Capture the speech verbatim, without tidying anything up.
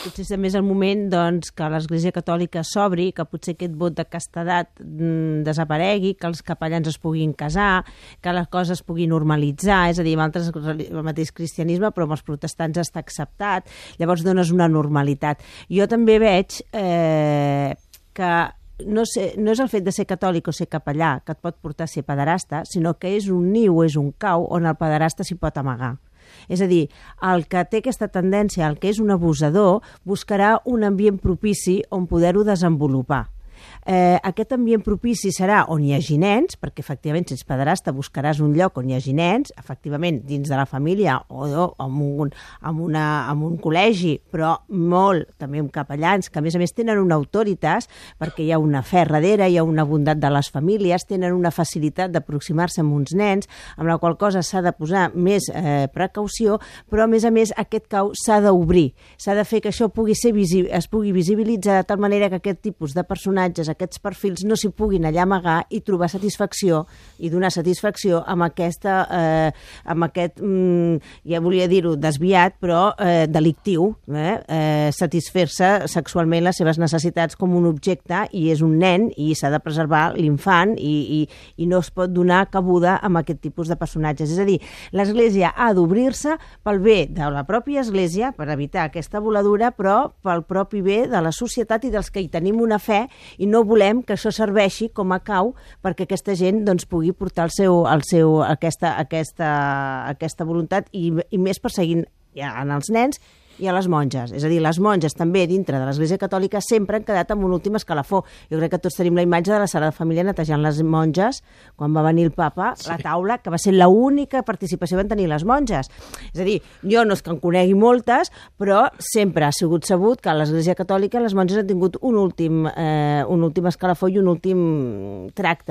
potser també és el moment doncs, que l'Església Catòlica s'obri, que potser aquest vot de castedat mm, desaparegui, que els capellans es puguin casar, que les coses es puguin normalitzar, és a dir, amb altres, el mateix cristianisme, però amb els protestants està acceptat, llavors dones una normalitat. Jo també veig eh, que no, sé, no és el fet de ser catòlic o ser capellà que et pot portar a ser pederasta, sinó que és un niu, és un cau on el pederasta s'hi pot amagar. És a dir, el que té aquesta tendència, el que és un abusador, buscarà un ambient propici on poder-ho desenvolupar. Eh, aquest ambient propici serà on hi hagi nens, perquè efectivament si ets pederasta buscaràs un lloc on hi hagi nens, efectivament dins de la família o no, en, un, en, una, en un col·legi, però molt també amb capellans, que a més a més tenen una autoritat perquè hi ha una fe darrere, hi ha una bondat de les famílies, tenen una facilitat d'aproximar-se amb uns nens, amb la qual cosa s'ha de posar més eh, precaució, però a més a més aquest cau s'ha d'obrir, s'ha de fer que això pugui ser visi- es pugui visibilitzar de tal manera que aquest tipus de personatges, aquests perfils no s'hi puguin allà amagar i trobar satisfacció i donar satisfacció amb aquesta, eh, amb aquest, mm, ja volia dir-ho desviat, però eh, delictiu, eh, eh, satisfer-se sexualment les seves necessitats com un objecte i és un nen i s'ha de preservar l'infant i, i, i no es pot donar cabuda amb aquest tipus de personatges. És a dir, l'Església ha d'obrir-se pel bé de la pròpia Església, per evitar aquesta voladura, però pel propi bé de la societat i dels que hi tenim una fe i no volem que això serveixi com a cau perquè aquesta gent doncs, pugui portar el seu, el seu, aquesta, aquesta, aquesta voluntat i, i més perseguint ja, en els nens i a les monges. És a dir, les monges també dintre de l'Església Catòlica sempre han quedat amb un últim escalafó. Jo crec que tots tenim la imatge de la Sagrada Família netejant les monges quan va venir el papa, sí. La taula, que va ser l'única participació que van tenir les monges. És a dir, jo no és que en conegui moltes, però sempre ha sigut sabut que a l'Església Catòlica les monges han tingut un últim, eh, un últim escalafó i un últim tracte.